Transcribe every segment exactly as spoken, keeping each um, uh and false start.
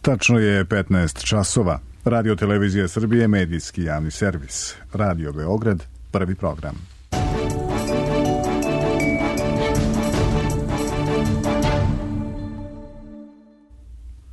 Tačno je petnaest časova. Radio Televizija Srbije, medijski javni servis. Radio Beograd, prvi program.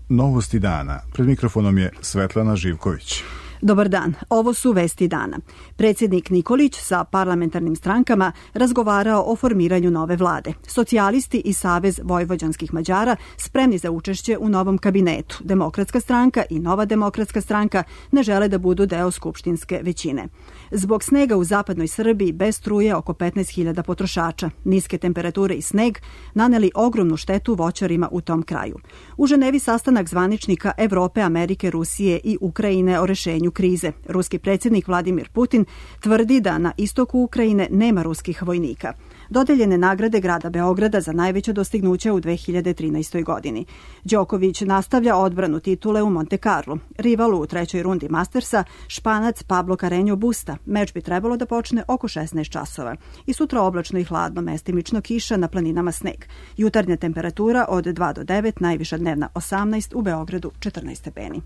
Novosti dana. Pred mikrofonom je Svetlana Živković. Dobar dan, ovo su vesti dana. Predsjednik Nikolić sa parlamentarnim strankama razgovarao o formiranju nove vlade. Socijalisti i Savez vojvođanskih Mađara spremni za učešće u novom kabinetu. Demokratska stranka i Nova demokratska stranka ne žele da budu deo skupštinske većine. Zbog snega u zapadnoj Srbiji bez struje oko petnaest hiljada potrošača. Niske temperature i sneg naneli ogromnu štetu voćarima u tom kraju. U Ženevi sastanak zvaničnika Evrope, Amerike, Rusije i Ukrajine o rešenju krize. Ruski predsjednik Vladimir Putin tvrdi da na istoku Ukrajine nema ruskih vojnika. Dodeljene nagrade grada Beograda za najveće dostignuće u dve hiljade trinaestoj. godini. Đoković nastavlja odbranu titule u Monte Carlo. Rival u trećoj rundi Mastersa, Španac Pablo Carreño Busta. Meč bi trebalo da počne oko šesnaest časova. I sutra oblačno i hladno, mestimično kiša, na planinama sneg. Jutarnja temperatura od dva do devet, najviša dnevna osamnaest, u Beogradu četrnaest stepeni.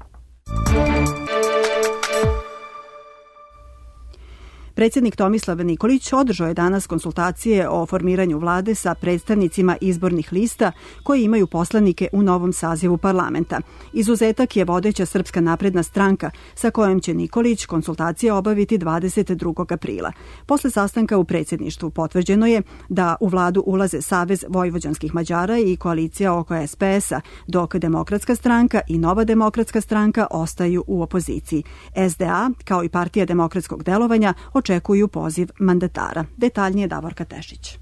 Predsjednik Tomislav Nikolić održao je danas konsultacije o formiranju vlade sa predstavnicima izbornih lista koji imaju poslanike u novom sazivu parlamenta. Izuzetak je vodeća Srpska napredna stranka sa kojom će Nikolić konsultacije obaviti dvadeset drugog aprila. Posle sastanka u predsjedništvu potvrđeno je da u vladu ulaze Savez vojvođanskih Mađara i koalicija oko es pe es-a, dok Demokratska stranka i Nova demokratska stranka ostaju u opoziciji. es de a, kao i Partija demokratskog delovanja, očekuju poziv mandatara. Detaljnije Davorka Tešić.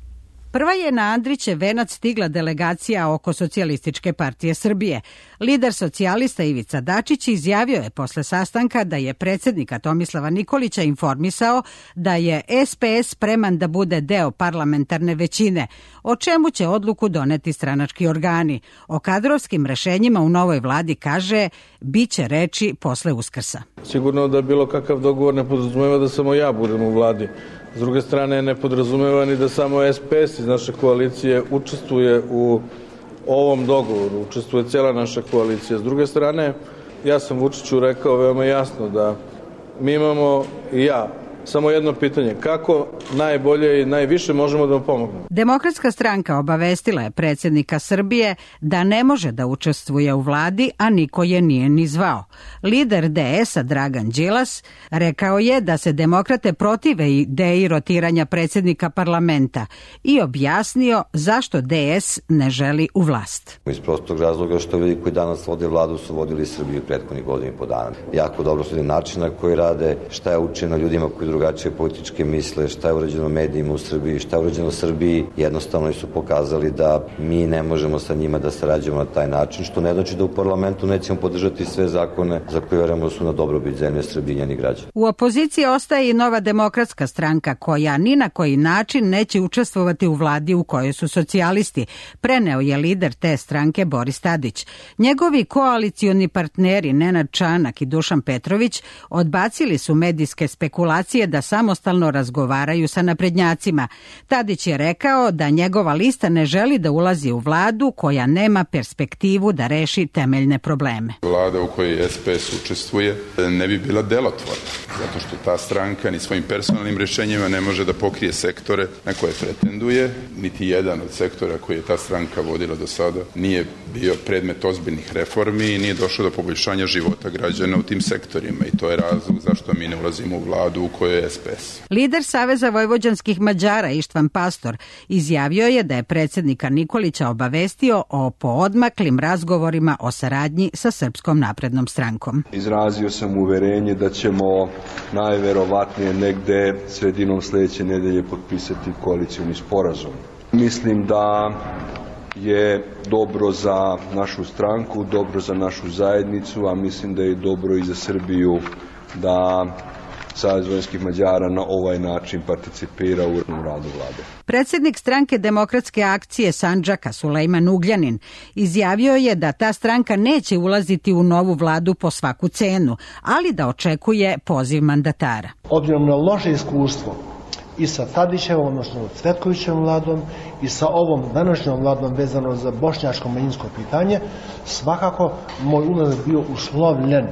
Prva je na Andrićev venac stigla delegacija oko Socijalističke partije Srbije. Lider socijalista Ivica Dačić izjavio je posle sastanka da je predsjednika Tomislava Nikolića informisao da je es pe es spreman da bude deo parlamentarne većine, o čemu će odluku doneti stranački organi. O kadrovskim rešenjima u novoj vladi kaže biće reči posle Uskrsa. Sigurno da bilo kakav dogovor ne podrazumeva da samo ja budem u vladi. S druge strane, ne podrazumeva ni da samo es pe es iz naše koalicije učestvuje u ovom dogovoru, učestvuje cijela naša koalicija. S druge strane, ja sam Vučiću rekao veoma jasno da mi imamo i ja samo jedno pitanje, kako najbolje i najviše možemo da vam pomognemo. Demokratska stranka obavestila je predsjednika Srbije da ne može da učestvuje u vladi, a niko je nije ni zvao. Lider de es-a Dragan Đilas rekao je da se demokrate protive ideji rotiranja predsjednika parlamenta i objasnio zašto de es ne želi u vlast. Iz prostog razloga što ljudi koji danas vode vladu su vodili Srbiju prethodnih godina i po dana. Jako dobro su način na koji rade, šta je učeno ljudima koji drugačije političke misle, šta je urađeno medijima u Srbiji, šta je urađeno Srbiji, jednostavno su pokazali da mi ne možemo sa njima da sarađujemo na taj način, što ne znači da u parlamentu nećemo podržati sve zakone za koje verujemo da su na dobrobit zemlje Srbije i njenih građana. U opoziciji ostaje i Nova demokratska stranka koja ni na koji način neće učestvovati u vladi u kojoj su socijalisti, preneo je lider te stranke Boris Tadić. Njegovi koalicioni partneri Nenad Čanak i Dušan Petrović odbacili su medijske spekulacije da samostalno razgovaraju sa naprednjacima. Tadić je rekao da njegova lista ne želi da ulazi u vladu koja nema perspektivu da reši temeljne probleme. Vlada u kojoj es pe es učestvuje ne bi bila delotvorna, zato što ta stranka ni svojim personalnim rješenjima ne može da pokrije sektore na koje pretenduje. Niti jedan od sektora koji je ta stranka vodila do sada nije bio predmet ozbiljnih reformi i nije došlo do poboljšanja života građana u tim sektorima i to je razlog zašto mi ne ulazimo u vladu u kojoj je es pe es. Lider Saveza vojvođanskih Mađara Ištvan Pastor izjavio je da je predsjednika Nikolića obavestio o poodmaklim razgovorima o saradnji sa Srpskom naprednom strankom. Izrazio sam uverenje da ćemo najverovatnije negde sredinom sljedeće nedelje potpisati koalicioni sporazum. Mislim da je dobro za našu stranku, dobro za našu zajednicu, a mislim da je dobro i za Srbiju da Savez vojvođanskih Mađara na ovaj način participira u radu vlade. Predsjednik stranke Demokratske akcije Sandžaka Sulejman Ugljanin izjavio je da ta stranka neće ulaziti u novu vladu po svaku cenu, ali da očekuje poziv mandatara. Obzirom na loše iskustvo i sa Tadićevom, odnosno Cvetkovićevom vladom i sa ovom današnjom vladom vezano za bošnjačko manjinsko pitanje, svakako moj ulazak bio uslovljen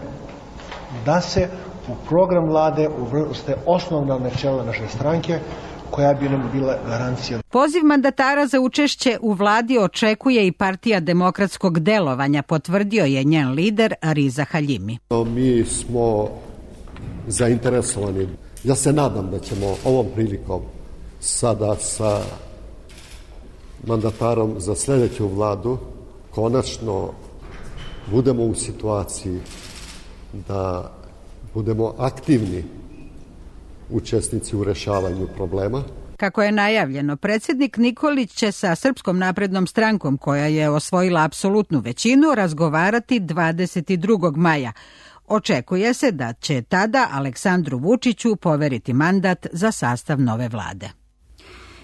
da se u program vlade uvrste osnovna načela naše stranke koja bi nam bila garancija. Poziv mandatara za učešće u vladi očekuje i Partija demokratskog delovanja, potvrdio je njen lider Riza Haljimi. Mi smo zainteresovani. Ja se nadam da ćemo ovom prilikom sada sa mandatarom za sljedeću vladu konačno budemo u situaciji da budemo aktivni učesnici u rešavanju problema. Kako je najavljeno, predsjednik Nikolić će sa Srpskom naprednom strankom, koja je osvojila apsolutnu većinu, razgovarati dvadeset drugog maja. Očekuje se da će tada Aleksandru Vučiću poveriti mandat za sastav nove vlade.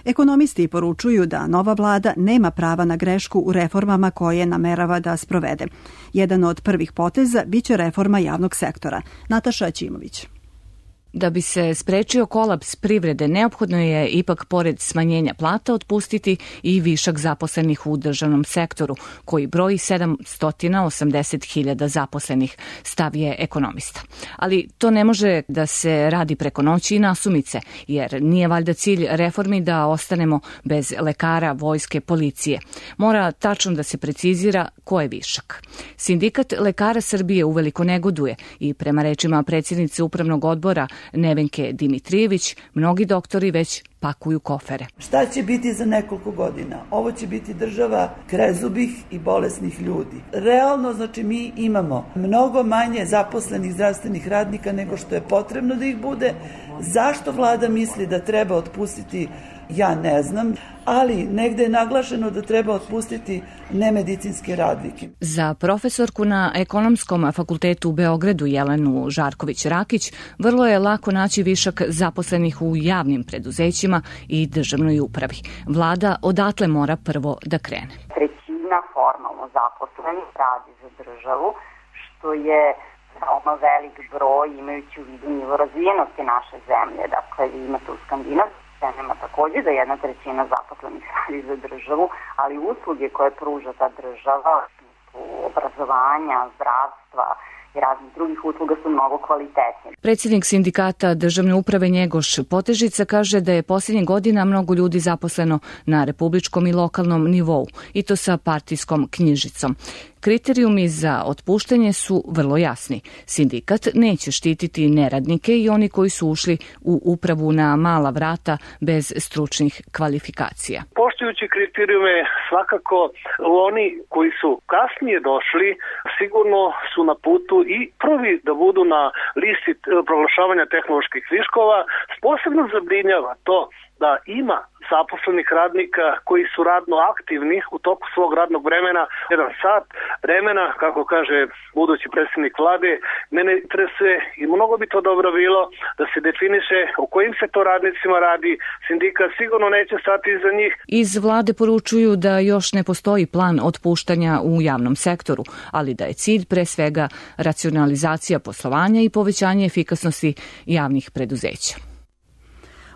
Ekonomisti poručuju da nova vlada nema prava na grešku u reformama koje namerava da sprovede. Jedan od prvih poteza biće reforma javnog sektora. Nataša Ćimović. Da bi se sprečio kolaps privrede, neophodno je ipak pored smanjenja plata otpustiti i višak zaposlenih u državnom sektoru, koji broji sedamsto osamdeset hiljada zaposlenih, stav je ekonomista. Ali to ne može da se radi preko noći i nasumice, jer nije valjda cilj reformi da ostanemo bez lekara, vojske, policije. Mora tačno da se precizira ko je višak. Sindikat lekara Srbije uveliko negoduje i prema rečima predsjednice upravnog odbora Nevenke Dimitrijević, mnogi doktori već pakuju kofere. Šta će biti za nekoliko godina? Ovo će biti država krezubih i bolesnih ljudi. Realno, znači, mi imamo mnogo manje zaposlenih zdravstvenih radnika nego što je potrebno da ih bude. Zašto vlada misli da treba otpustiti? Ja ne znam, ali negde je naglašeno da treba otpustiti nemedicinske radnike. Za profesorku na Ekonomskom fakultetu u Beogradu Jelenu Žarković-Rakić vrlo je lako naći višak zaposlenih u javnim preduzećima i državnoj upravi. Vlada odatle mora prvo da krene. Trećina formalno zaposlenih radi za državu, što je veoma velik broj imajući u vidu nivo razvijenosti naše zemlje. Dakle, vi imate u skandinavskim zemljama također da jedna trećina zaposlenih radi za državu, ali usluge koje pruža ta država, obrazovanja, zdravstva i raznih drugih usluga su mnogo kvalitetnije. Predsjednik sindikata državne uprave Njegoš Potežica kaže da je posljednjih godina mnogo ljudi zaposleno na republičkom i lokalnom nivou, i to sa partijskom knjižicom. Kriterijumi za otpuštanje su vrlo jasni. Sindikat neće štititi neradnike i oni koji su ušli u upravu na mala vrata bez stručnih kvalifikacija. Poštujući kriterijume, svakako oni koji su kasnije došli sigurno su na putu i prvi da budu na listi proglašavanja tehnoloških viškova. Posebno zabrinjava to da ima zaposlenih radnika koji su radno aktivni u toku svog radnog vremena, jedan sat vremena, kako kaže budući predsjednik vlade. Mene interesuje i mnogo bi to dobro bilo da se definiše o kojim se to radnicima radi. Sindikat sigurno neće stati iza njih. Iz vlade poručuju da još ne postoji plan otpuštanja u javnom sektoru, ali da je cilj pre svega racionalizacija poslovanja i povećanje efikasnosti javnih preduzeća.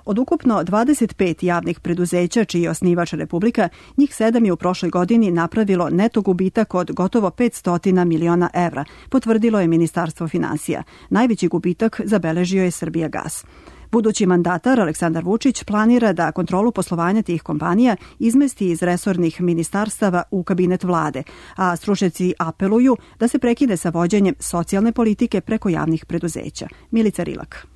Od ukupno dvadeset pet javnih preduzeća čiji je osnivač Republika, njih sedam je u prošloj godini napravilo neto gubitak od gotovo petsto miliona evra, potvrdilo je Ministarstvo finansija. Najveći gubitak zabeležio je Srbijagas. Budući mandatar Aleksandar Vučić planira da kontrolu poslovanja tih kompanija izmesti iz resornih ministarstava u kabinet vlade, a stručnjaci apeluju da se prekine sa vođenjem socijalne politike preko javnih preduzeća. Milica Rilak.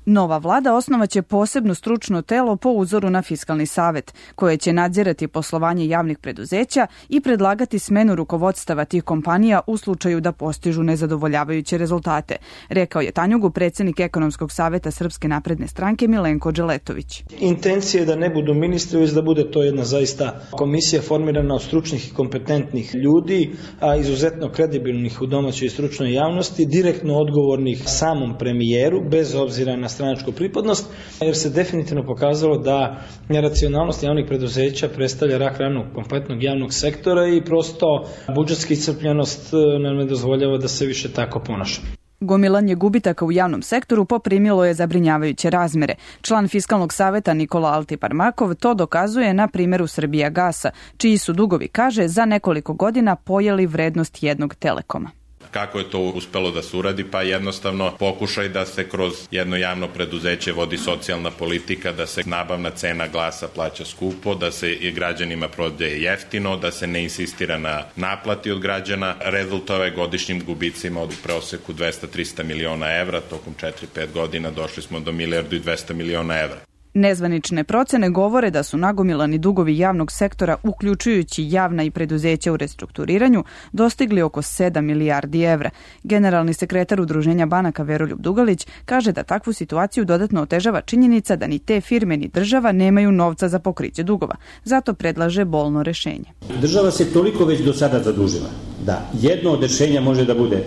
Nova vlada osnovaće posebno stručno telo po uzoru na Fiskalni savet, koje će nadzirati poslovanje javnih preduzeća i predlagati smenu rukovodstava tih kompanija u slučaju da postižu nezadovoljavajuće rezultate, rekao je Tanjugu predsjednik Ekonomskog saveta Srpske napredne stranke Milenko Dželetović. Intencija je da ne budu ministri, već da bude to jedna zaista komisija formirana od stručnih i kompetentnih ljudi, a izuzetno kredibilnih u domaćoj i stručnoj javnosti, direktno odgovornih samom premijeru, bez obzira na stranačku pripadnost, jer se definitivno pokazalo da neracionalnost javnih preduzeća predstavlja rak ranu kompletnog javnog sektora i prosto budžetska iscrpljenost nam ne dozvoljava da se više tako ponaša. Gomilanje gubitaka u javnom sektoru poprimilo je zabrinjavajuće razmere. Član Fiskalnog saveta Nikola Altiparmakov to dokazuje na primjeru Srbijagasa, čiji su dugovi, kaže, za nekoliko godina pojeli vrednost jednog Telekoma. Kako je to uspelo da se uradi? Pa jednostavno pokušaj da se kroz jedno javno preduzeće vodi socijalna politika, da se nabavna cena glasa plaća skupo, da se i građanima prodaje jeftino, da se ne insistira na naplati od građana. Rezultove godišnjim gubicima od proseku dvesta do trista miliona evra, tokom četiri do pet godina došli smo do milijardu i dvesta miliona evra. Nezvanične procene govore da su nagomilani dugovi javnog sektora, uključujući javna i preduzeća u restrukturiranju, dostigli oko sedam milijardi evra. Generalni sekretar Udruženja banaka Veroljub Dugalić kaže da takvu situaciju dodatno otežava činjenica da ni te firme ni država nemaju novca za pokriće dugova. Zato predlaže bolno rešenje. Država se toliko već do sada zadužila da jedno od rešenja može da bude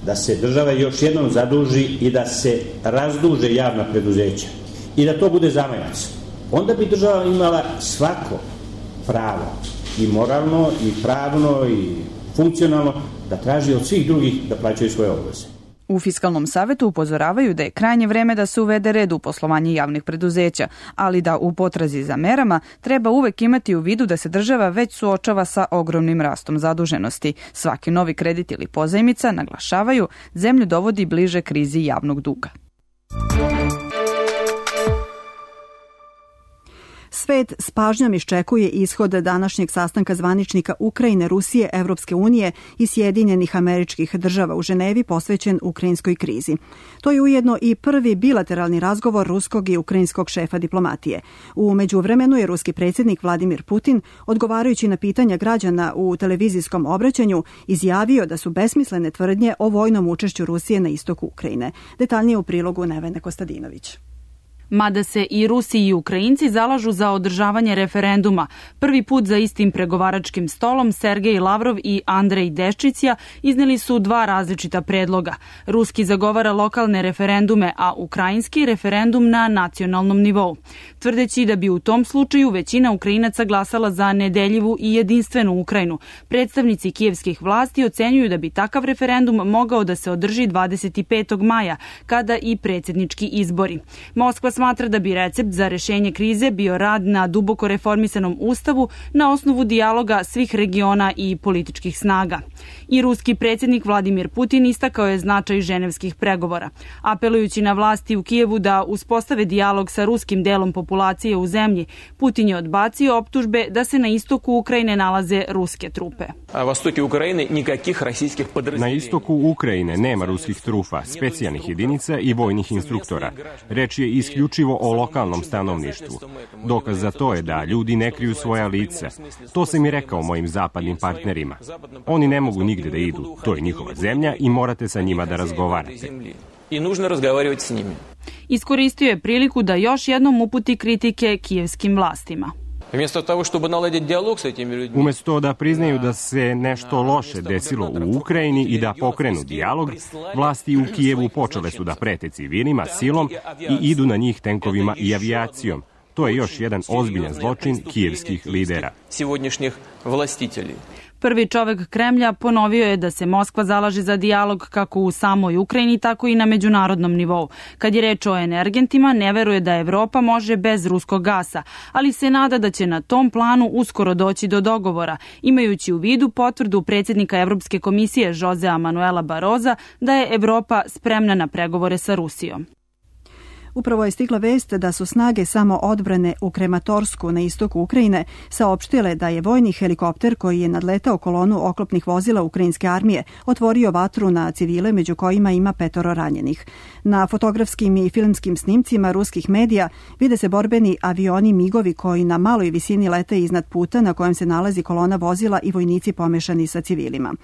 da se država još jednom zaduži i da se razduže javna preduzeća i da to bude zamajac. Onda bi država imala svako pravo, i moralno, i pravno, i funkcionalno, da traži od svih drugih da plaćaju svoje obaveze. U Fiskalnom savetu upozoravaju da je krajnje vreme da se uvede red u poslovanje javnih preduzeća, ali da u potrazi za merama treba uvek imati u vidu da se država već suočava sa ogromnim rastom zaduženosti. Svaki novi kredit ili pozajmica, naglašavaju, zemlju dovodi bliže krizi javnog duga. Svet s pažnjom iščekuje ishod današnjeg sastanka zvaničnika Ukrajine, Rusije, Evropske unije i Sjedinjenih Američkih Država u Ženevi posvećen ukrajinskoj krizi. To je ujedno i prvi bilateralni razgovor ruskog i ukrajinskog šefa diplomatije. U međuvremenu je ruski predsjednik Vladimir Putin, odgovarajući na pitanja građana u televizijskom obraćanju, izjavio da su besmislene tvrdnje o vojnom učešću Rusije na istoku Ukrajine. Detaljnije u prilogu Nevene Kostadinović. Mada se i Rusi i Ukrajinci zalažu za održavanje referenduma, prvi put za istim pregovaračkim stolom Sergej Lavrov i Andrej Deščicija izneli su dva različita predloga. Ruski zagovara lokalne referendume, a ukrajinski referendum na nacionalnom nivou, tvrdeći da bi u tom slučaju većina Ukrajinaca glasala za nedeljivu i jedinstvenu Ukrajinu. Predstavnici kijevskih vlasti ocenjuju da bi takav referendum mogao da se održi dvadeset petog maja, kada i predsjednički izbori. Moskva smatra da bi recept za rešenje krize bio rad na duboko reformisanom ustavu na osnovu dijaloga svih regiona i političkih snaga. I ruski predsjednik Vladimir Putin istakao je značaj ženevskih pregovora. Apelujući na vlasti u Kijevu da uspostave dijalog sa ruskim delom populacije u zemlji, Putin je odbacio optužbe da se na istoku Ukrajine nalaze ruske trupe. Na istoku Ukrajine nema ruskih trupa, specijalnih jedinica i vojnih instruktora. Reč je isključivo o lokalnom stanovništvu. Dokaz za to je da ljudi ne kriju svoja lica. To sam i rekao mojim zapadnim partnerima. Oni ne mogu nigde da idu. To je njihova zemlja i morate sa njima da razgovarate. Iskoristio je priliku da još jednom uputi kritike kijevskim vlastima. Umesto da priznaju da se nešto loše desilo u Ukrajini i da pokrenu dijalog, vlasti u Kijevu počele su da prete civilima silom i idu na njih tenkovima i avijacijom. To je još jedan ozbiljan zločin kijevskih lidera. Prvi čovek Kremlja ponovio je da se Moskva zalaže za dijalog kako u samoj Ukrajini, tako i na međunarodnom nivou. Kad je reč o energentima, ne veruje da Evropa može bez ruskog gasa, ali se nada da će na tom planu uskoro doći do dogovora, imajući u vidu potvrdu predsjednika Evropske komisije Josea Manuela Baroza da je Evropa spremna na pregovore sa Rusijom. Upravo je stigla vest da su snage samoodbrane u Krematorsku na istoku Ukrajine saopštile da je vojni helikopter koji je nadletao kolonu oklopnih vozila ukrajinske armije otvorio vatru na civile, među kojima ima petoro ranjenih. Na fotografskim i filmskim snimcima ruskih medija vide se borbeni avioni migovi koji na maloj visini lete iznad puta na kojem se nalazi kolona vozila i vojnici pomešani sa civilima.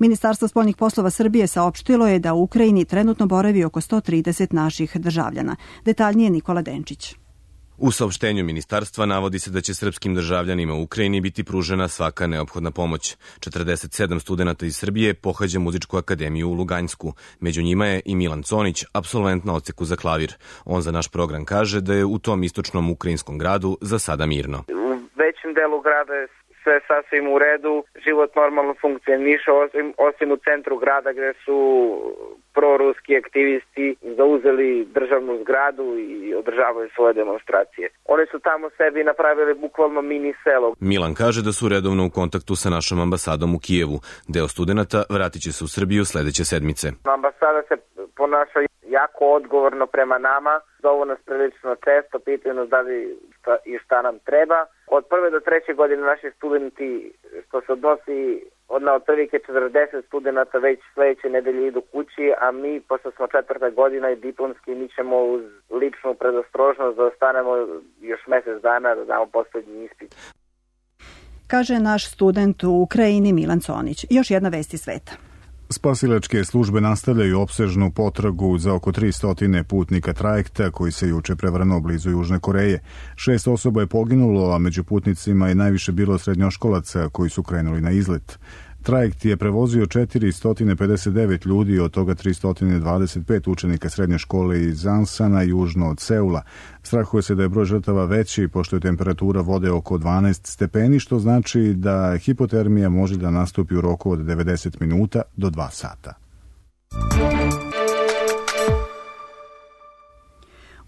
Ministarstvo spoljnih poslova Srbije saopštilo je da u Ukrajini trenutno boravi oko sto trideset naših državljana. Detaljnije Nikola Denčić. U saopštenju ministarstva navodi se da će srpskim državljanima u Ukrajini biti pružena svaka neophodna pomoć. četrdeset sedam studenata iz Srbije pohađa muzičku akademiju u Luganjsku. Među njima je i Milan Conić, apsolvent na odseku za klavir. On za naš program kaže da je u tom istočnom ukrajinskom gradu za sada mirno. U većem delu grada je sve sasvim u redu, život normalno funkcioniše, osim, osim u centru grada gde su proruski aktivisti zauzeli državnu zgradu i održavaju svoje demonstracije. Oni su tamo sebi napravili bukvalno mini selo. Milan kaže da su redovno u kontaktu sa našom ambasadom u Kijevu. Deo studenata vratit će se u Srbiju sledeće sedmice. Ambasada se ponaša jako odgovorno prema nama, zovu nas prilično često, pitaju nas da li šta, i šta nam treba. Od prve do treće godine naši studenti, što se odnosi od na otprilike četrdeset studenata, već sledeće nedelje idu kući, a mi, pošto smo četvrta godina i diplomski, mi ćemo uz ličnu predostrožnost da ostanemo još mesec dana da damo poslednji ispit. Kaže naš student u Ukrajini Milan Conić. Još jedna vest iz sveta. Spasilačke službe nastavljaju opsežnu potragu za oko tristo putnika trajekta koji se juče prevrnuo blizu Južne Koreje. Šest osoba je poginulo, a među putnicima je najviše bilo srednjoškolaca koji su krenuli na izlet. Trajekt je prevozio četiristo pedeset devet ljudi, od toga tristo dvadeset pet učenika srednje škole iz Ansana, južno od Seula. Strahuje se da je broj žrtava veći, pošto je temperatura vode oko dvanaest stepeni, što znači da hipotermija može da nastupi u roku od devedeset minuta do dva sata.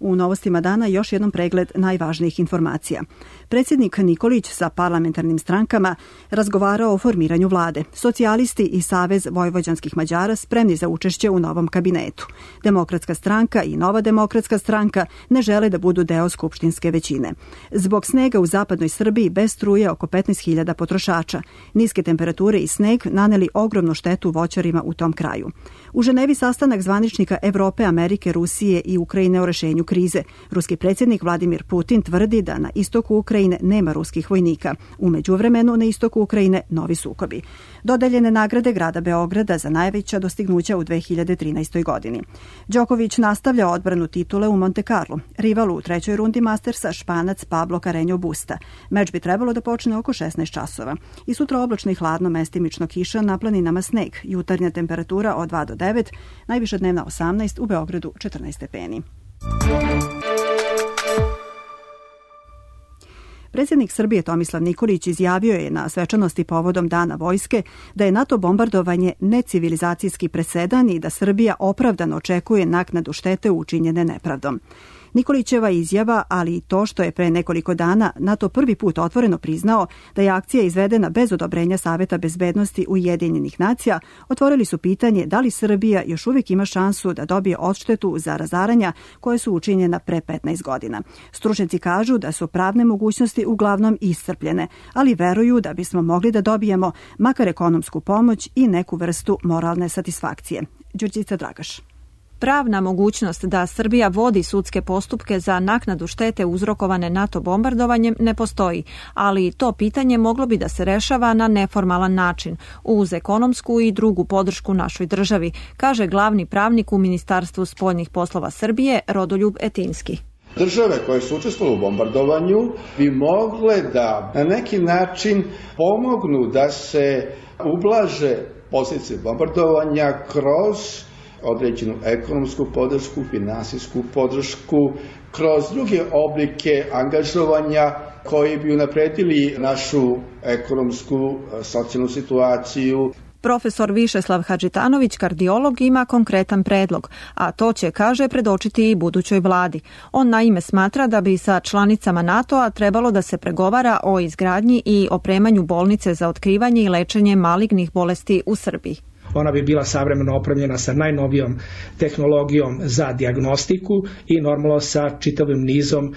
U novostima dana još jednom pregled najvažnijih informacija. Predsjednik Nikolić sa parlamentarnim strankama razgovarao o formiranju vlade. Socijalisti i Savez vojvođanskih Mađara spremni za učešće u novom kabinetu. Demokratska stranka i Nova demokratska stranka ne žele da budu deo skupštinske većine. Zbog snega u zapadnoj Srbiji bez struje oko petnaest hiljada potrošača. Niske temperature i sneg naneli ogromnu štetu voćarima u tom kraju. U Ženevi sastanak zvaničnika Evrope, Amerike, Rusije i Ukrajine o rešenju krize. Ruski predsjednik Vladimir Putin tvrdi da na istoku Ukrajine nema ruskih vojnika. U međuvremenu na istoku Ukrajine novi sukobi. Dodeljene nagrade grada Beograda za najveća dostignuća u dve hiljade trinaestoj. godini. Đoković nastavlja odbranu titule u Monte Carlo. Rival u trećoj rundi Mastersa, Španac Pablo Carreño Busta. Meč bi trebalo da počne oko šesnaest časova. I sutra oblačno i hladno, mestimično kiša, na planinama sneg. Jutarnja temperatura od dva do devet, najviša dnevna osamnaest, u Beogradu četrnaest stepeni. Predsjednik Srbije Tomislav Nikolić izjavio je na svečanosti povodom Dana vojske da je NATO bombardovanje necivilizacijski presedan i da Srbija opravdano očekuje naknadu štete učinjene nepravdom. Nikolićeva izjava, ali i to što je pre nekoliko dana NATO prvi put otvoreno priznao da je akcija izvedena bez odobrenja Saveta bezbednosti Ujedinjenih nacija, otvorili su pitanje da li Srbija još uvijek ima šansu da dobije odštetu za razaranja koje su učinjena pre petnaest godina. Stručnjaci kažu da su pravne mogućnosti uglavnom iscrpljene, ali veruju da bismo mogli da dobijemo makar ekonomsku pomoć i neku vrstu moralne satisfakcije. Đurđica Dragaš. Pravna mogućnost da Srbija vodi sudske postupke za naknadu štete uzrokovane NATO bombardovanjem ne postoji, ali to pitanje moglo bi da se rešava na neformalan način, uz ekonomsku i drugu podršku našoj državi, kaže glavni pravnik u Ministarstvu spoljnih poslova Srbije Rodoljub Etinski. Države koje su učestvovale u bombardovanju bi mogle da na neki način pomognu da se ublaže posljedice bombardovanja kroz određenu ekonomsku podršku, finansijsku podršku, kroz druge oblike angažovanja koji bi unapredili našu ekonomsku, socijalnu situaciju. Profesor Višeslav Hadžitanović, kardiolog, ima konkretan predlog, a to će, kaže, predočiti i budućoj vladi. On naime smatra da bi sa članicama NATO-a trebalo da se pregovara o izgradnji i opremanju bolnice za otkrivanje i lečenje malignih bolesti u Srbiji. Ona bi bila savremeno opremljena sa najnovijom tehnologijom za dijagnostiku i normalno sa čitavim nizom uh,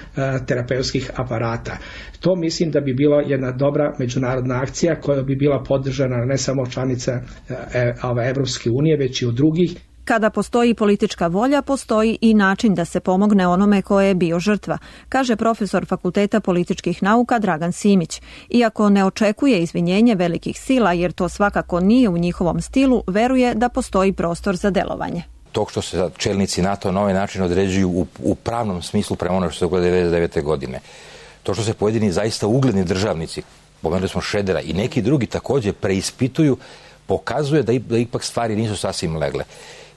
terapeutskih aparata. To mislim da bi bila jedna dobra međunarodna akcija koja bi bila podržana ne samo članica uh, Evropske unije, već i od drugih. Kada postoji politička volja, postoji i način da se pomogne onome koje je bio žrtva, kaže profesor Fakulteta političkih nauka Dragan Simić. Iako ne očekuje izvinjenje velikih sila, jer to svakako nije u njihovom stilu, veruje da postoji prostor za delovanje. To što se čelnici NATO na ovaj način određuju u, u pravnom smislu prema ono što se dogodilo devedeset devete. godine, to što se pojedini zaista ugledni državnici, pomenuli smo Šedera i neki drugi također preispituju, pokazuje da, da ipak stvari nisu sasvim legle.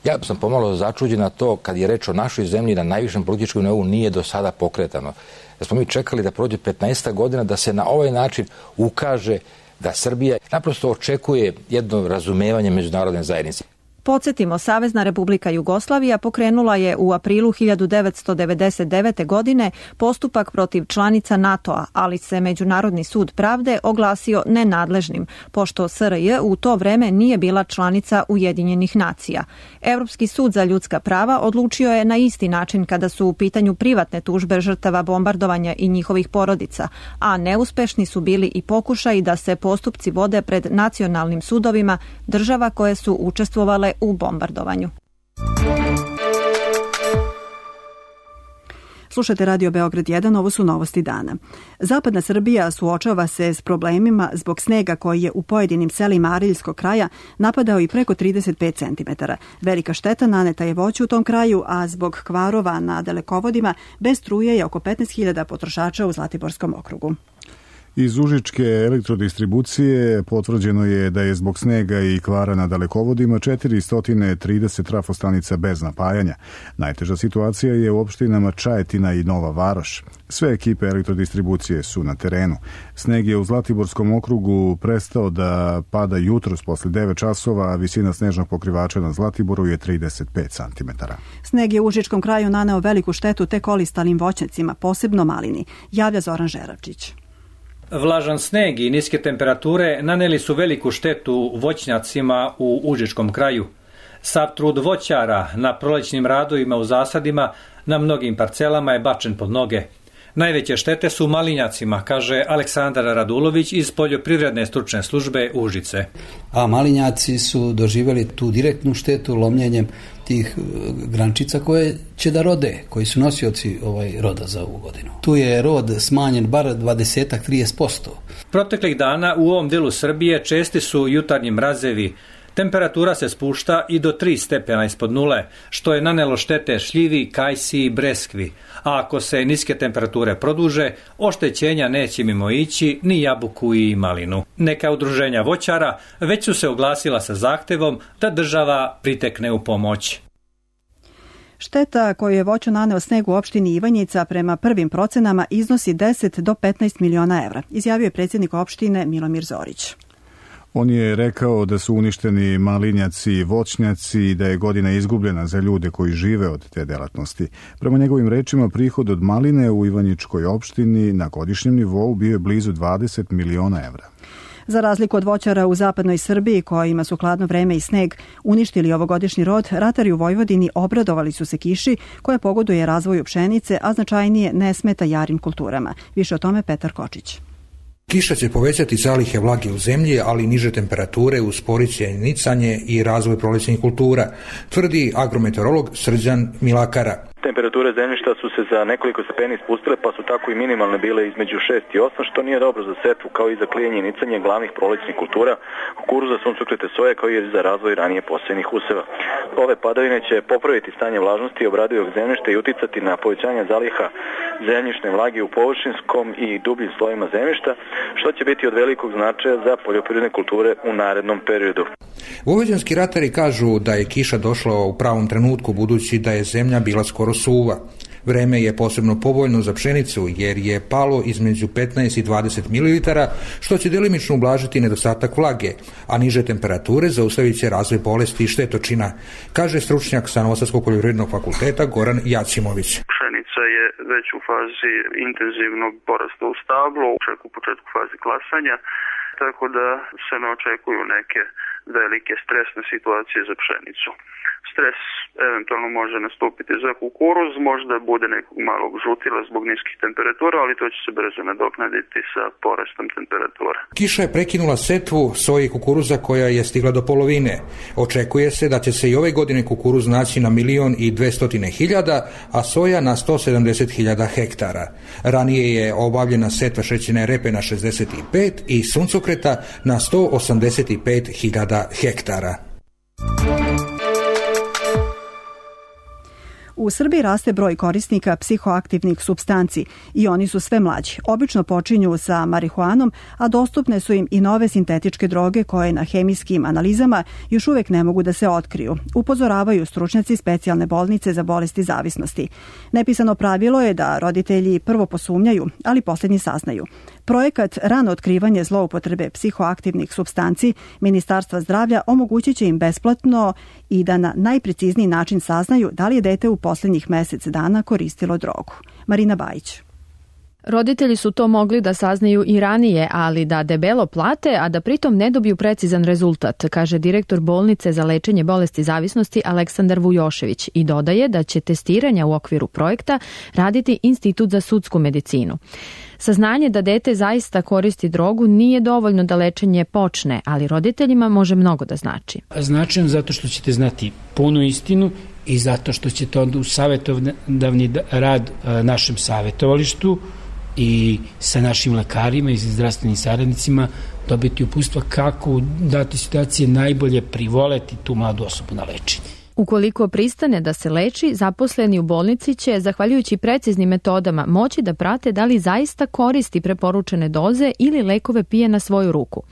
Ja sam pomalo začuđen na to kad je reč o našoj zemlji na najvišem političkom nivou nije do sada pokretano. Da smo mi čekali da prođe petnaest godina da se na ovaj način ukaže da Srbija naprosto očekuje jedno razumevanje međunarodne zajednice. Podsjetimo, Savezna Republika Jugoslavija pokrenula je u aprilu hiljadu devetsto devedeset devete. godine postupak protiv članica NATO-a, ali se Međunarodni sud pravde oglasio nenadležnim, pošto S R J u to vreme nije bila članica Ujedinjenih nacija. Europski sud za ljudska prava odlučio je na isti način kada su u pitanju privatne tužbe žrtava bombardovanja i njihovih porodica, a neuspešni su bili i pokušaji da se postupci vode pred nacionalnim sudovima država koje su učestvovale u bombardovanju. Slušate Radio Beograd jedan, ovo su novosti dana. Zapadna Srbija suočava se s problemima zbog snega koji je u pojedinim selima Ariljskog kraja napadao i preko trideset pet centimetara. Velika šteta naneta je voću u tom kraju, a zbog kvarova na dalekovodima bez struje je oko petnaest hiljada potrošača u Zlatiborskom okrugu. Iz Užičke elektrodistribucije potvrđeno je da je zbog snega i kvara na dalekovodima četiristo trideset trafostanica bez napajanja. Najteža situacija je u opštinama Čajetina i Nova Varoš. Sve ekipe elektrodistribucije su na terenu. Sneg je u Zlatiborskom okrugu prestao da pada jutros posle devet časova, a visina snežnog pokrivača na Zlatiboru je trideset pet centimetara. Sneg je u Užičkom kraju naneo veliku štetu tek olistalim voćnjacima, posebno malini, javlja Zoran Žeravčić. Vlažan sneg i niske temperature naneli su veliku štetu voćnjacima u Užičkom kraju. Sav trud voćara na prolećnim radovima u zasadima na mnogim parcelama je bačen pod noge. Najveće štete su malinjacima, kaže Aleksandar Radulović iz Poljoprivredne stručne službe Užice. A malinjaci su doživjeli tu direktnu štetu lomljenjem tih grančica koje će da rode, koji su nosioci ovaj roda za ovu godinu. Tu je rod smanjen bar dvadeset do trideset posto. Proteklih dana u ovom delu Srbije česti su jutarnji mrazevi. Temperatura se spušta i do tri stepena ispod nule, što je nanelo štete šljivi, kajsi i breskvi. A ako se niske temperature produže, oštećenja neće mimo ići ni jabuku i malinu. Neka udruženja voćara već su se oglasila sa zahtevom da država pritekne u pomoć. Šteta koju je voću naneo sneg u opštini Ivanjica prema prvim procenama iznosi deset do petnaest miliona evra, izjavio je predsjednik opštine Milomir Zorić. On je rekao da su uništeni malinjaci i voćnjaci i da je godina izgubljena za ljude koji žive od te delatnosti. Prema njegovim rečima, prihod od maline u Ivanjičkoj opštini na godišnjem nivou bio je blizu dvadeset miliona evra. Za razliku od voćara u zapadnoj Srbiji, kojima su hladno vreme i sneg uništili ovogodišnji rod, ratari u Vojvodini obradovali su se kiši koja pogoduje razvoju pšenice, a značajnije ne smeta jarim kulturama. Više o tome Petar Kočić. Kiša će povećati zalihe vlage u zemlji, ali niže temperature usporit će nicanje i razvoj prolećnih kultura, tvrdi agrometeorolog Srđan Milakara. Temperature zemljišta su se za nekoliko stepeni spustile, pa su tako i minimalne bile između šest i osam, što nije dobro za setvu, kao i za klijenje i nicanje glavnih prolećnih kultura, kukuruza, suncokrete, soje, kao i za razvoj ranije posejenih useva. Ove padavine će popraviti stanje vlažnosti obradivog zemljišta i uticati na povećanje zaliha zemljišne vlage u površinskom i dubljim slojima zemljišta, što će biti od velikog značaja za poljoprivredne kulture u narednom periodu. Vojvođanski ratari kažu da je kiša došla u pravom trenutku, budući da je zemlja bila skoro suva. Vreme je posebno povoljno za pšenicu jer je palo između petnaest i dvadeset mililitara, što će delimično ublažiti nedostatak vlage, a niže temperature zaustavit će razvoj bolesti i štetočina, kaže stručnjak sa Novosadskog poljoprivrednog fakulteta Goran Jacimović. Pšenica je već u fazi intenzivnog porasta u stablu, čak u početku fazi klasanja, tako da se ne očekuju neke velike stresne situacije za pšenicu. Stres eventualno može nastupiti za kukuruz, možda bude nekog malog žutila zbog niskih temperatura, ali to će se brzo nadoknaditi sa porastom temperatura. Kiša je prekinula setvu soje i kukuruza koja je stigla do polovine. Očekuje se da će se i ove godine kukuruz naći na milion i dvestotine hiljada, a soja na sto sedamdeset hiljada hektara. Ranije je obavljena setva šećerne repe na šezdeset pet i suncokreta na sto osamdeset pet hiljada hektara. U Srbiji raste broj korisnika psihoaktivnih supstanci i oni su sve mlađi. Obično počinju sa marihuanom, a dostupne su im i nove sintetičke droge koje na hemijskim analizama još uvek ne mogu da se otkriju. Upozoravaju stručnjaci specijalne bolnice za bolesti zavisnosti. Nepisano pravilo je da roditelji prvo posumnjaju, ali posljednji saznaju. Projekat rano otkrivanje zloupotrebe psihoaktivnih supstanci Ministarstva zdravlja omogućit će im besplatno i da na najprecizniji način saznaju da li je dete u posljednjih mesec dana koristilo drogu. Marina Bajić. Roditelji su to mogli da saznaju i ranije, ali da debelo plate, a da pritom ne dobiju precizan rezultat, kaže direktor bolnice za lečenje bolesti zavisnosti Aleksandar Vujošević i dodaje da će testiranja u okviru projekta raditi Institut za sudsku medicinu. Saznanje da dete zaista koristi drogu nije dovoljno da lečenje počne, ali roditeljima može mnogo da znači. Značajno zato što ćete znati punu istinu i zato što ćete onda u savjetodavni rad našem savjetovalištu i sa našim lekarima i zdravstvenim saradnicima dobiti uputstva kako u datoj situaciji najbolje privoleti tu mladu osobu na lečenje. Ukoliko pristane da se leči, zaposleni u bolnici će, zahvaljujući preciznim metodama, moći da prate da li zaista koristi preporučene doze ili lekove pije na svoju ruku.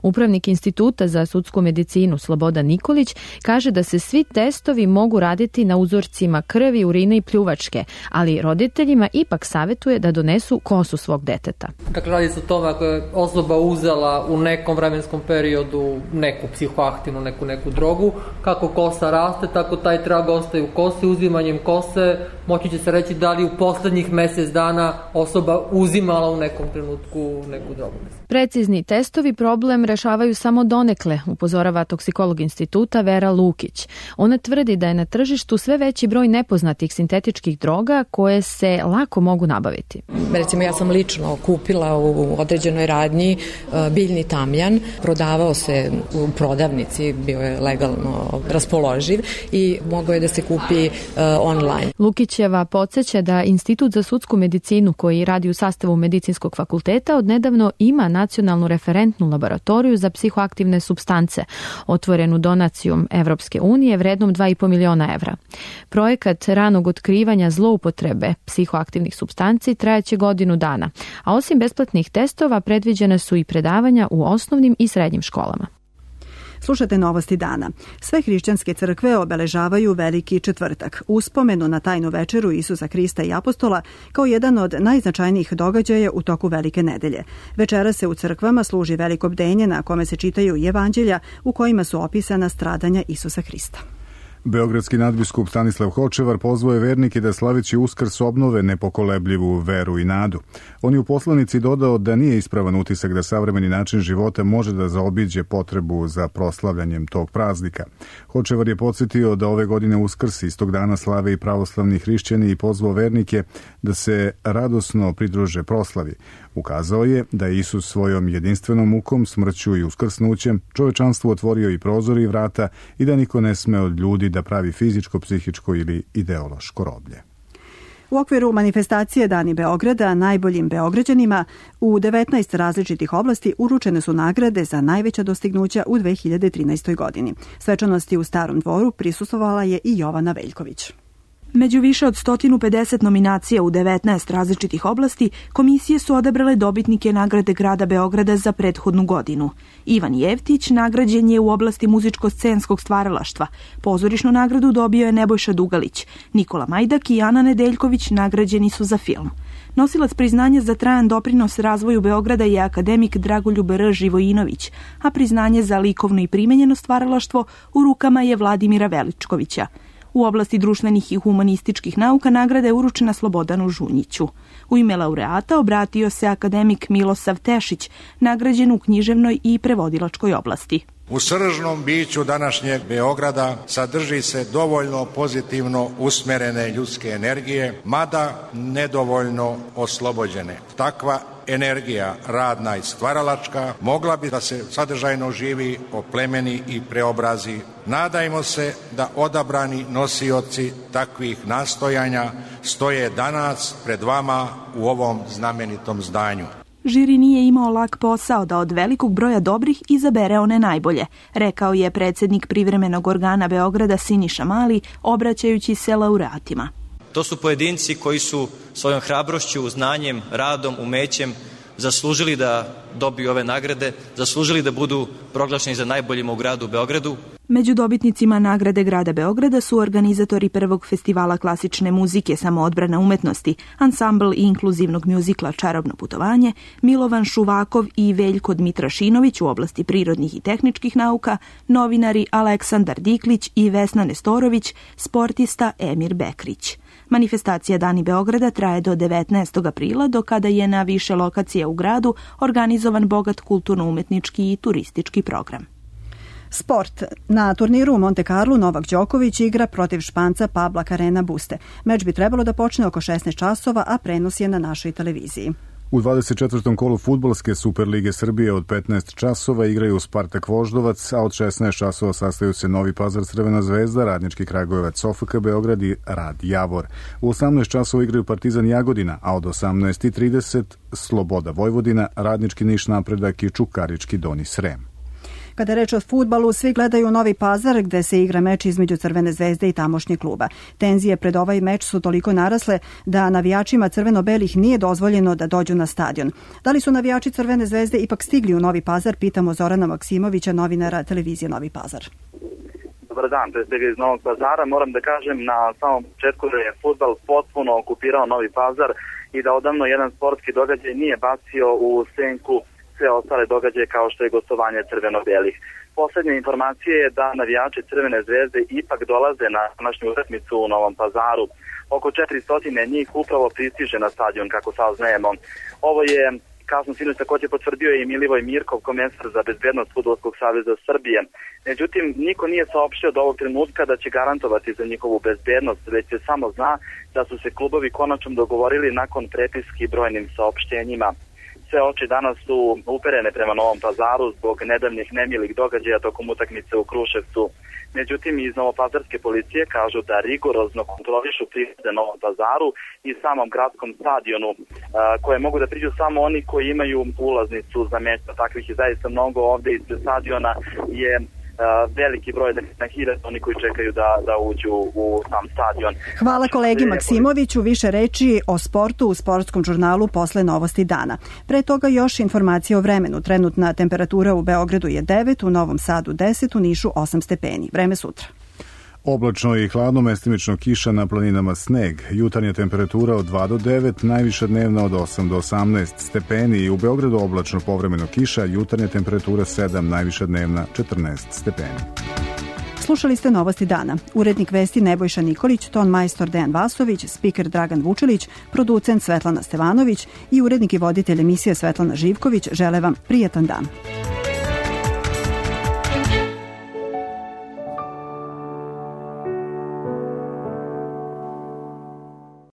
Upravnik Instituta za sudsku medicinu Slobodan Nikolić kaže da se svi testovi mogu raditi na uzorcima krvi, urine i pljuvačke, ali roditeljima ipak savjetuje da donesu kosu svog deteta. Dakle, radi se o tome ako je osoba uzela u nekom vremenskom periodu neku psihoaktivnu, neku, neku drogu, kako kosa raste, tako taj trag ostaje u kosi. Uzimanjem kose moći će se reći da li u poslednjih mesec dana osoba uzimala u nekom trenutku neku drogu. Precizni testovi problem rešavaju samo donekle, upozorava toksikolog instituta Vera Lukić. Ona tvrdi da je na tržištu sve veći broj nepoznatih sintetičkih droga koje se lako mogu nabaviti. Recimo, ja sam lično kupila u određenoj radnji biljni tamjan, prodavao se u prodavnici, bio je legalno raspoloživ i mogao je da se kupi uh, online. Lukićeva podsjeća da Institut za sudsku medicinu, koji radi u sastavu medicinskog fakulteta, odnedavno ima nacionalnu referentnu laboratoriju za psihoaktivne supstance, otvorenu donacijom Evropske unije vrednom dva i po miliona evra. Projekat ranog otkrivanja zloupotrebe psihoaktivnih supstanci trajaće godinu dana, a osim besplatnih testova predviđene su i predavanja u osnovnim i srednjim školama. Slušate Novosti dana. Sve hrišćanske crkve obeležavaju Veliki četvrtak, uspomenu na tajnu večeru Isusa Hrista i apostola kao jedan od najznačajnijih događaja u toku Velike nedelje. Večera se u crkvama služi veliko bdenje na kome se čitaju evanđelja u kojima su opisana stradanja Isusa Hrista. Beogradski nadbiskup Stanislav Hočevar pozvao je vernike da slaveći Uskrs obnove nepokolebljivu veru i nadu. On je u poslanici dodao da nije ispravan utisak da savremeni način života može da zaobiđe potrebu za proslavljanjem tog praznika. Hočevar je podsjetio da ove godine Uskrs istog dana slave i pravoslavni hrišćani i pozvao vernike da se radosno pridruže proslavi. Ukazao je da je Isus svojom jedinstvenom mukom, smrću i uskrsnućem čovečanstvu otvorio i prozor i vrata i da niko ne sme od ljudi da pravi fizičko, psihičko ili ideološko roblje. U okviru manifestacije Dani Beograda najboljim Beograđanima u devetnaest različitih oblasti uručene su nagrade za najveća dostignuća u dve hiljade trinaestoj godini. Svečanosti u Starom dvoru prisustvovala je i Jovana Veljković. Među više od sto pedeset nominacija u devetnaest različitih oblasti, komisije su odabrale dobitnike nagrade grada Beograda za prethodnu godinu. Ivan Jevtić nagrađen je u oblasti muzičko-scenskog stvaralaštva. Pozorišnu nagradu dobio je Nebojša Dugalić. Nikola Majdak i Ana Nedeljković nagrađeni su za film. Nosilac priznanja za trajan doprinos razvoju Beograda je akademik Dragoljub R. Živojinović, a priznanje za likovno i primenjeno stvaralaštvo u rukama je Vladimira Veličkovića. U oblasti društvenih i humanističkih nauka nagrada je uručena Slobodanu Žunjiću. U ime laureata obratio se akademik Milosav Tešić, nagrađen u književnoj i prevodilačkoj oblasti. U sržnom biću današnjeg Beograda sadrži se dovoljno pozitivno usmerene ljudske energije, mada nedovoljno oslobođene. Takva energija, radna i stvaralačka, mogla bi da se sadržajno živi, oplemeni i preobrazi. Nadajmo se da odabrani nosioci takvih nastojanja stoje danas pred vama u ovom znamenitom zdanju. Žiri nije imao lak posao da od velikog broja dobrih izabere one najbolje, rekao je predsjednik privremenog organa Beograda Siniša Mali, obraćajući se laureatima. To su pojedinci koji su svojom hrabrošću, znanjem, radom, umećem zaslužili da dobiju ove nagrade, zaslužili da budu proglašeni za najboljima u gradu Beogradu. Među dobitnicima nagrade grada Beograda su organizatori prvog festivala klasične muzike Samoodbrana umetnosti, ansambl i inkluzivnog mjuzikla Čarobno putovanje, Milovan Šuvakov i Veljko Dmitrašinović u oblasti prirodnih i tehničkih nauka, novinari Aleksandar Diklić i Vesna Nestorović, sportista Emir Bekrić. Manifestacija Dani Beograda traje do devetnaestog aprila, do kada je na više lokacija u gradu organizovan bogat kulturno-umetnički i turistički program. Sport. Na turniru u Monte Carlo Novak Đoković igra protiv Španca Pabla Carrena Buste. Meč bi trebalo da počne oko šesnaest časova, a prenos je na našoj televiziji. U dvadeset četvrtom kolu fudbalske Superlige Srbije od petnaest časova igraju Spartak Voždovac, a od šesnaest časova sastaju se Novi Pazar Crvena zvezda, Radnički Kragujevac O F K Beograd i Rad Javor. U osamnaest časova igraju Partizan Jagodina, a od osamnaest i trideset Sloboda Vojvodina, Radnički Niš Napredak i Čukarički Doni Srem. Kada je reč o fudbalu, svi gledaju Novi Pazar gde se igra meč između Crvene zvezde i tamošnjeg kluba. Tenzije pred ovaj meč su toliko narasle da navijačima crveno-belih nije dozvoljeno da dođu na stadion. Da li su navijači Crvene zvezde ipak stigli u Novi Pazar, pitamo Zorana Maksimovića, novinara televizije Novi Pazar. Dobar dan, to je iz Novog Pazara. Moram da kažem na samom početku da je fudbal potpuno okupirao Novi Pazar i da odavno jedan sportski događaj nije bacio u senku sve ostale događaje kao što je gostovanje crveno-belih. Poslednja informacija je da navijači Crvene zvezde ipak dolaze na današnju utakmicu u Novom Pazaru. Oko četiristo njih upravo pristiže na stadion, kako saznajemo. Ovo je kasno sinoć takođe potvrdio i Milivoj Mirkov, komesar za bezbednost Fudbalskog saveza Srbije. Međutim, niko nije saopštio do ovog trenutka da će garantovati za njihovu bezbednost, već se samo zna da su se klubovi konačno dogovorili nakon prepiski brojnim saopštenjima. Sve oči danas su uperene prema Novom Pazaru zbog nedavnih nemilih događaja tokom utakmice u Kruševcu. Međutim, iz novopazarske policije kažu da rigorozno kontrolišu pristupe Novom Pazaru i samom gradskom stadionu, koje mogu da priđu samo oni koji imaju ulaznicu za meč. Takvih je zaista mnogo ovde ispred stadiona je veliki broj, na hiljade oni koji čekaju da, da uđu u sam stadion. Hvala kolegi Maksimoviću. Više reči o sportu u sportskom žurnalu posle Novosti dana. Pre toga još informacije o vremenu. Trenutna temperatura u Beogradu je devet, u Novom Sadu deset, u Nišu osam stepeni. Vreme sutra. Oblačno i hladno, mestimično kiša, na planinama sneg. Jutarnja temperatura od dva do devet, najviša dnevna od osam do osamnaest stepeni i u Beogradu oblačno povremeno kiša, jutarnja temperatura sedam, najviša dnevna četrnaest stepeni. Slušali ste Novosti dana. Urednik vesti Nebojša Nikolić, ton majstor Dejan Vasović, spiker Dragan Vučilić, producent Svetlana Stevanović i urednik i voditelj emisije Svetlana Živković žele vam prijatan dan.